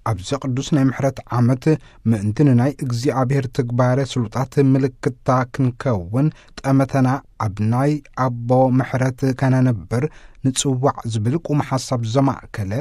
ኣብዚ ቅዱስ ናይ ምሕረት ዓመት ምእንቲ ንናይ እግዚኣብሔር ትግባረ ስሉጣት ምልክታ ክንከውን ጠመተና ኣብ ናይ ኣቦ ምሕረት ከነንብር ንጽዋዕ ዝብል ቁም ሓሳብ ዘማእከለ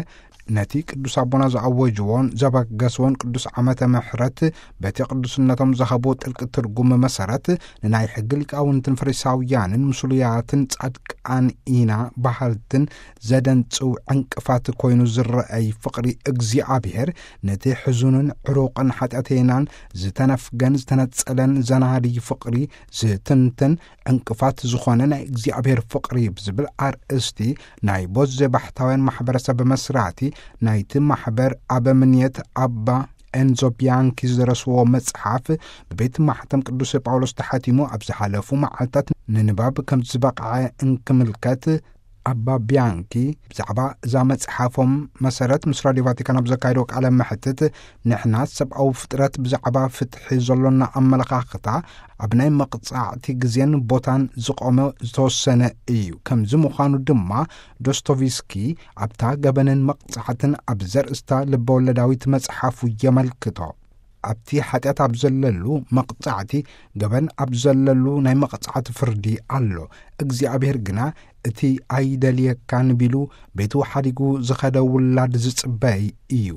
ነቲ ቅዱስ ኣቦና ዝኣወጅዎን ዘበገስዎን ቅዱስ ዓመተ ምሕረት በቲ ቅዱስነቶም ዝሃብዎ ጥልቂ ትርጉም መሰረት ንናይ ሕጊ ሊቃውንትን ፈሪሳውያንን ምስሉያትን ጻድቃን ኢና በሃልትን ዘደንጽው ዕንቅፋት ኮይኑ ዝረኣይ ፍቕሪ እግዚኣብሔር ነቲ ሕዙንን ዕሩቕን ሓጢኣተይናን ዝተነፍገን ዝተነጸለን ዘናድይ ፍቕሪ ዝትንትን ዕንቅፋት ዝኾነ ናይ እግዚኣብሔር ፍቕሪ ብዝብል ኣርእስቲ ናይ ቦዜ ባሕታውያን ማሕበረሰብ መስራቲ ናይቲ ማሕበር ኣበምኔት ኣባ ኤንዞ ቢያንኪ ዝደረስዎ መጽሓፍ ብቤት ማሕተም ቅዱስ ጳውሎስ ተሓቲሙ ኣብ ዝሓለፉ መዓልታት ንንባብ ከም ዝበቕዐ እንክምልከት ኣባ ቢያንኪ ብዛዕባ እዛ መጽሓፎም መሰረት ምስ ራድዮ ቫቲካን ኣብ ዘካየዶ ቃለ መሕትት ንሕና ሰብኣዊ ፍጥረት ብዛዕባ ፍትሒ ዘሎና ኣመለኻኽታ ኣብ ናይ መቕጻዕቲ ግዜን ቦታን ዝቖመ ዝተወሰነ እዩ። ከምዚ ምዃኑ ድማ ዶስቶቭስኪ ኣብታ ገበንን መቕጻዕትን ኣብ ዘርእስታ ልበወለዳዊት መጽሓፉ የመልክቶ። ኣብቲ ሓጢኣት ኣብ ዘለሉ መቕጻዕቲ ገበን ኣብ ዘለሉ ናይ መቕጻዕቲ ፍርዲ ኣሎ። እግዚኣብሔር ግና እቲ ኣይደልየካን ቢሉ ቤቱ ሓዲጉ ዝኸደ ውላድ ዝጽበይ እዩ።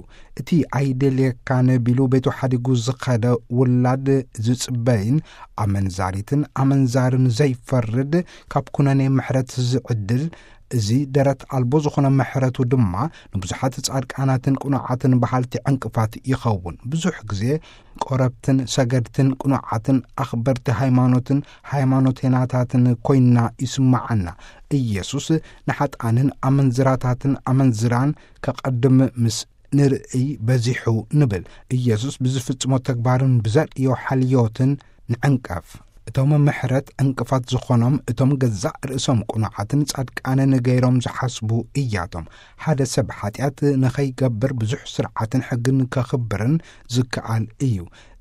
እቲ ኣይደልየካን ቢሉ ቤቱ ሓዲጉ ዝኸደ ውላድ ዝጽበይን ኣመንዛሪትን ኣመንዛርን ዘይፈርድ ካብ ኩነኔ ምሕረት ዝዕድል እዚ ደረት ኣልቦ ዝኾነ ምሕረቱ ድማ ንብዙሓት ጻድቃናትን ቅኑዓትን በሃልቲ ዕንቅፋት ይኸውን። ብዙሕ ግዜ ቆረብትን ሰገድትን ቅኑዓትን ኣኽበርቲ ሃይማኖትን ሃይማኖቴናታትን ኮይንና ይስምዓና። ኢየሱስ ንሓጥኣንን ኣመንዝራታትን ኣመንዝራን ከቐድም ምስ ንርእይ በዚሑ ንብል። ኢየሱስ ብዝፍጽሞ ተግባርን ብዘርእዮ ሓልዮትን ንዕንቀፍ። እቶም ምሕረት ዕንቅፋት ዝኾኖም እቶም ገዛእ ርእሶም ቅኑዓትን ጻድቃንን ገይሮም ዝሓስቡ እያቶም። ሓደ ሰብ ሓጢኣት ንኸይገብር ብዙሕ ስርዓትን ሕግን ከኽብርን ዝከኣል እዩ።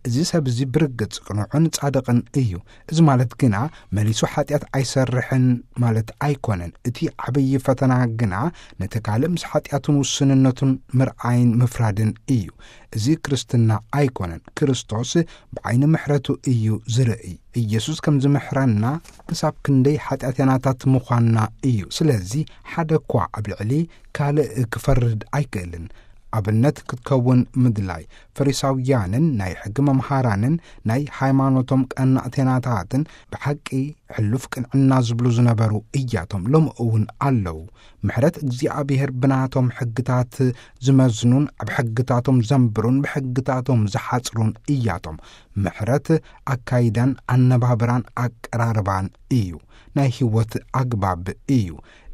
እዚ ሰብ እዚ ብርግጽ ቅኑዕን ጻድቕን እዩ። እዚ ማለት ግና መሊሱ ሓጢኣት ኣይሰርሕን ማለት ኣይኮነን። እቲ ዓብዪ ፈተና ግና ነቲ ካልእ ምስ ሓጢኣቱን ውስንነቱን ምርኣይን ምፍራድን እዩ። እዚ ክርስትና ኣይኮነን። ክርስቶስ ብዓይኒ ምሕረቱ እዩ ዝርእይ። ኢየሱስ ከም ዝምሕረና ክሳብ ክንደይ ሓጢኣተኛታት ምዃንና እዩ። ስለዚ ሓደ እኳ ኣብ ልዕሊ ካልእ ክፈርድ ኣይክእልን። ኣብነት ክትከውን ምድላይ። ፈሪሳውያንን ናይ ሕጊ መምሃራንን ናይ ሃይማኖቶም ቀናእተኛታትን ብሓቂ ሕሉፍ ቅንዕና ዝብሉ ዝነበሩ እያቶም ሎሚ እውን ኣለዉ። ምሕረት እግዚኣብሔር ብናቶም ሕግታት ዝመዝኑን ኣብ ሕግታቶም ዘንብሩን ብሕግታቶም ዝሓጽሩን እያቶም። ምሕረት ኣካይዳን ኣነባብራን ኣቀራርባን እዩ። ናይ ህይወት ኣግባብ እዩ።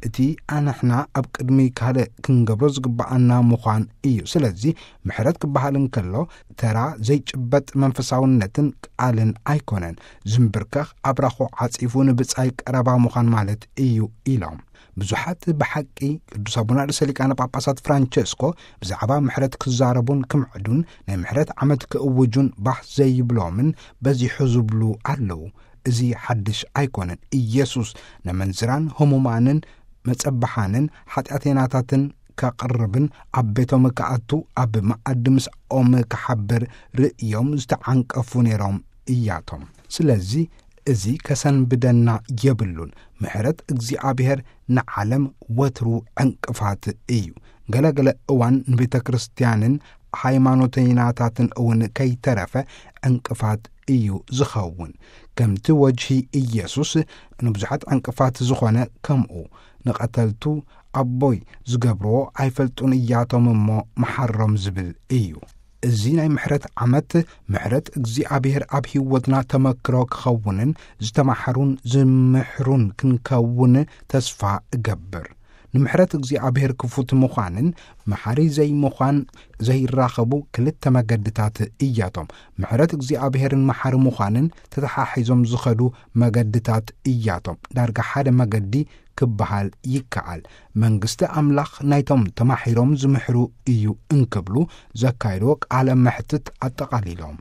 እቲ ኣንሕና ኣብ ቅድሚ ካልእ ክንገብሮ ዝግብኣና ምዃን እዩ። ስለዚ ምሕረት ክበሃል እንከሎ ተራ ዘይጭበጥ መንፈሳውነትን ቃልን ኣይኮነን። ዝንብርከኽ ኣብራኹ ዓጺፉ ንብጻይ ቀረባ ምዃን ማለት እዩ ኢሎም። ብዙሓት ብሓቂ ቅዱስ ኣቡነ ርእሰ ሊቃነ ጳጳሳት ፍራንቸስኮ ብዛዕባ ምሕረት ክዛረቡን ክምዕዱን ናይ ምሕረት ዓመት ክእውጁን ባህ ዘይብሎምን በዚሑ ዝብሉ ኣለዉ። እዚ ሓድሽ ኣይኮነን። ኢየሱስ ነመንዝራን ህሙማንን መጸብሓንን ሓጢኣተኛታትን ከቕርብን ኣብ ቤቶም ክኣቱ ኣብ መኣዲ ምስኦም ክሓብር ርእዮም ዝተዓንቀፉ ነይሮም እያቶም። ስለዚ እዚ ከሰንብደና የብሉን። ምሕረት እግዚኣብሔር ንዓለም ወትሩ ዕንቅፋት እዩ። ገለገለ እዋን ንቤተ ክርስቲያንን ሃይማኖተይናታትን እውን ከይተረፈ ዕንቅፋት እዩ ዝኸውን። ከምቲ ወጅሂ ኢየሱስ ንብዙሓት ዕንቅፋት ዝኾነ ከምኡ ንቐተልቱ ኣቦይ ዝገብርዎ ኣይፈልጡን እያቶም እሞ መሓሮም ዝብል እዩ። እዚ ናይ ምሕረት ዓመት ምሕረት እግዚኣብሔር ኣብ ህይወትና ተመክሮ ክኸውንን ዝተማሕሩን ዝምሕሩን ክንከውን ተስፋ እገብር። ንምሕረት እግዚኣብሔር ክፉት ምዃንን መሓሪ ዘይምዃን ዘይራኸቡ ክልተ መገድታት እያቶም። ምሕረት እግዚኣብሔርን መሓሪ ምዃንን ተተሓሒዞም ዝኸዱ መገድታት እያቶም። ዳርጋ ሓደ መገዲ ክበሃል ይከኣል። መንግስቲ ኣምላኽ ናይቶም ተማሒሮም ዝምሕሩ እዩ እንክብሉ ዘካየድዎ ቃለ መሕትት ኣጠቓሊሎም።